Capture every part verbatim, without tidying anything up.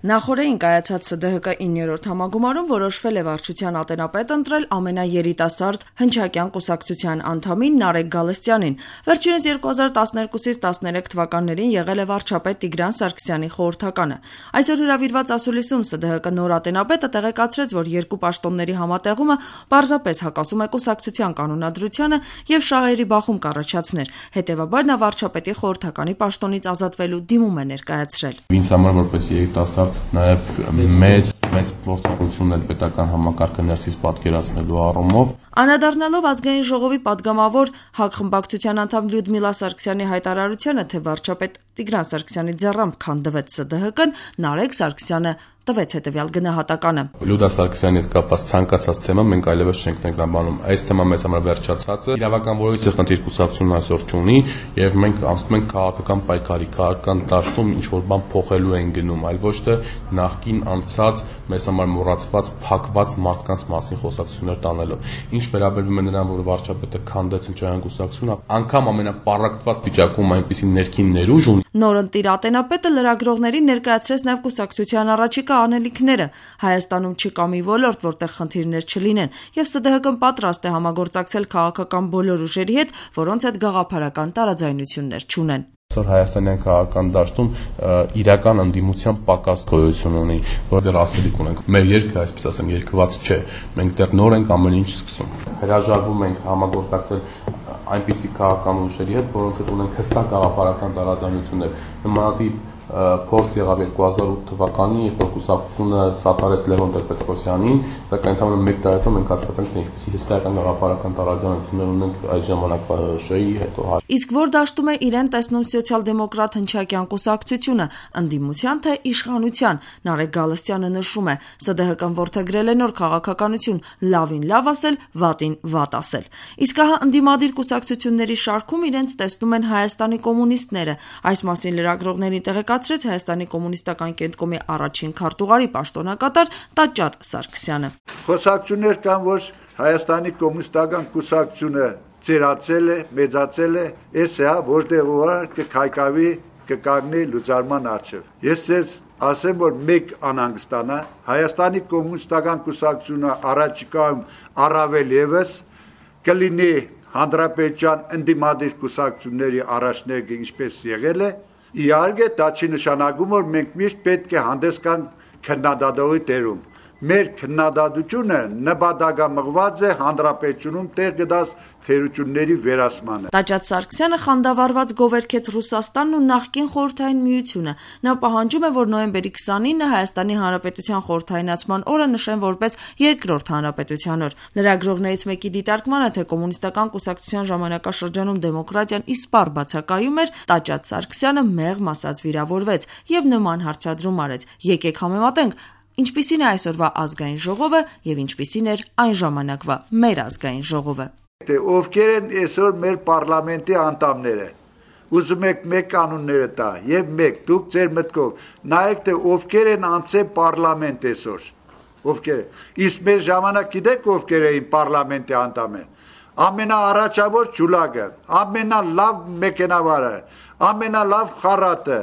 Նախօրեին կայացած Ս D H K իններորդ համագումարում որոշվել է վարչության ատենապետ ընտրել ամենաերիտասարդ հնչակյան կուսակցության անդամին Նարեկ Գալստյանին։ Վերջինս երկու հազար տասներկուսից տասներեք թվականներին եղել է վարչապետ Տիգրան Սարգսյանի խորհրդականը։ Այսօր հրավիրված ասուլիսում Ս D H K նոր ատենապետը տեղեկացրեց, որ երկու պաշտոնների համատեղումը պարզապես հակասում է կուսակցության կանոնադրությանը եւ շահերի բախում կառաջացներ։ Հետեւաբար նա վարչապետի խորհրդականի պաշտոնից ազատվելու դիմում է ներկայացրել։ Ինձ համար որպես երիտասարդ նաև մեծ մեծ փորձառություն էր պետական համակարգը ներսից պատկերացնելու առումով։ Անդրադառնալով ազգային ժողովի падգամավոր ՀԱԿ խմբակցության անդամ Լյուդմիլա Սարգսյանի հայտարարությանը, թե վարչապետ Տիգրան Սարգսյանի ձեռամբ քանդվեց Ս D H K-ն, Նարեկ Սարգսյանը տվեց հետևյալ գնահատականը. Լյուդա Սարգսյանի հետ կապված ցանկացած թեմա մենք այլևս չենք ներկայանում։ Այս թեման մեզ համար վերջացած է։ Իրավական որոշիչ խնդիր կուսակցությունն այսօր չունի եւ մենք անցնում ենք քաղաքական պայքարի, քաղաքական դաշտում ինչ որ բան փոխելու են գնում, այլ ոչ թե նախկին անցած մեզ համար մոռացված, փակված մարդկանց մասին խոսակցություններ տանելով։ Ինչ վերաբերվում է նրան, որ վարչապետը քանդեց հնչակյան կուսակցությունը, անգամ ամենապառակտված վիճակում այնպիսի ներքին ներուժ ունի։ Նորընտիր ատենապետը լրագրողներին ներկայացրեց նաև կուսակցության առաջիկա անելիքները։ Հայաստանում չկա մի ոլորտ, որտեղ խնդիրներ չլինեն, եւ Ս D H K-ն պատրաստ է համագործակցել քաղաքական բոլոր ուժերի հետ, որոնց հետ գաղափարական տարաձայնություններ չունեն։ Այսօր հայաստանյան քաղաքական դաշտում իրական ընդդիմության պակաս գոյություն ունի, որտեղ ասելիք ունենք։ Մեր երկը, այսպես ասեմ, երկված չէ։ Մենք դեռ նոր ենք ամեն ինչ սկսում։ Հրաժարվում ենք համագործակցել այնպիսի քաղաքական ուժերի հետ, որոնց հետ ունենք հստակ գաղափարական տարաձայնություններ։ Նմանատիպ փորձ եղավ երկու հազար ութ թվականին, երբ որ կուսակցությունը սատարեց Լևոն Տեր-Պետրոսյանին, սակայն ընդամենը մեկ տարի հետո մենք հասկացանք, թե ինչպիսի հսկայական գաղափարական տարաձայնություններ ունենք այս ժամանակվա ՇՀ-ի հետո։ Իսկ որ դաշտում է իրեն տեսնում սոցիալ-դեմոկրատ հնչակյան կուսակցությունը, ընդդիմության թե իշխանության, Նարեկ Գալստյանը նշում է, Ս D H K-ն որդեգրել է նոր քաղաքականություն, լավին լավ ասել, վատին վատ ասել։ Իսկ ահա ընդդիմադիր կուսակցությունների շարքում իրենց տեսնում են Հայաստանի կոմունիստները։ Այս մասին լրագրողներին տեղեկացրեց Հայաստանի կոմունիստական կենտկոմի առաջին քարտուղարի պաշտոնակատար Տաճատ Սարգսյանը։ Խոսակցություններ կան, որ Հայաստանի կոմունիստական կուսակցությունը ծերացել է, մեծացել է, այս է, որտեղ ուղղակի կքայքավի, կկանգնի լուծարման առջև։ Ես ձեզ ասեմ, որ մեկ անհանգստանա, Հայաստանի կոմունիստական կուսակցությունը առաջիկայում առավել եւս կլինի հանրապետության ընդդիմադիր կուսակցությունների առաջնեկը, ինչպես եղել է։ Իհարկե, դա չի նշանակում, որ մենք միշտ պետք է հանդես գանք քննադատողի դերում։ Մեր քննադատությունը նպատակամղված է հանրապետությունում տեղ գտած թերությունների վերացմանը։ Տաճատ Սարգսյանը խանդավառված գովերքեց Ռուսաստանն ու նախկին Խորհրդային Միությունը։ Նա պահանջում է, որ նոյեմբերի քսանինը Հայաստանի Հանրապետության խորհրդայնացման օրը նշեն որպես երկրորդ հանրապետության օր։ Լրագրողներից մեկի դիտարկմանը, թե կոմունիստական կուսակցության ժամանակաշրջանում դեմոկրատիան իսպառ բացակայում էր, Տաճատ Սարգսյանը մեղմ ասած վիրավորվեց եւ նման հարցադրում արեց. Եկեք համեմատենք, ինչպիսին է այսօրվա ազգային ժողովը եւ ինչպիսին էր այն ժամանակվա մեր ազգային ժողովը։ Թե ովքեր են այսօր մեր պարլամենտի անդամները։ Ուզում եք մեկ կանոնները տա եւ մեկ դուք ձեր մտքով նայեք, թե ովքեր են անցել պարլամենտ այսօր։ Ովքեր։ Իսկ մեր ժամանակ գիտեք ովքեր էին պարլամենտի անդամը։ Ամենաառաջավոր ջուլակը, ամենալավ մեքենավարը, ամենալավ խառատը,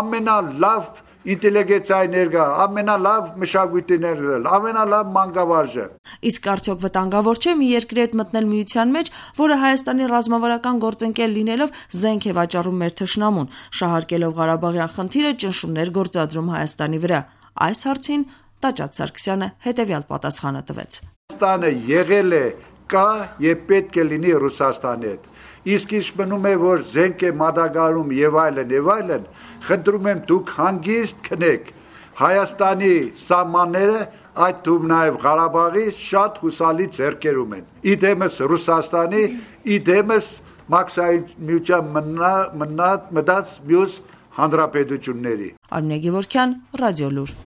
ամենալավ ինտելիգենցիայի ներկա, ամենալավ մշակույթի ներկա, ամենալավ մանկավարժը։ Իսկ արդյոք վտանգավոր չէ մի երկրի հետ մտնել միության մեջ, որը Հայաստանի ռազմավարական գործընկեր լինելով զենք է վաճառում մեր թշնամուն, շահարկելով Ղարաբաղյան խնդիրը ճնշումներ գործադրում Հայաստանի վրա։ Այս հարցին Տաճատ Սարգսյանը հետևյալ պատասխանը տվեց. Հայաստանը եղել է, կա եւ պետք է լինի Ռուսաստանի հետ։ Իսկ ինչ մնում է, որ զենք է մատակարարում եւ այլն եւ այլն, խնդրում եմ դուք հանգիստ քնեք։ Հայաստանի սահմանները, այդ թվում նաեւ Ղարաբաղի շատ հուսալի ձեռքերում են։ Իդեմս Ռուսաստանի, իդեմս Մաքսային միության մնաց մնաց մյուս հանրապետությունների։ Արմինե Գևորգյան, Ռադիոլուր։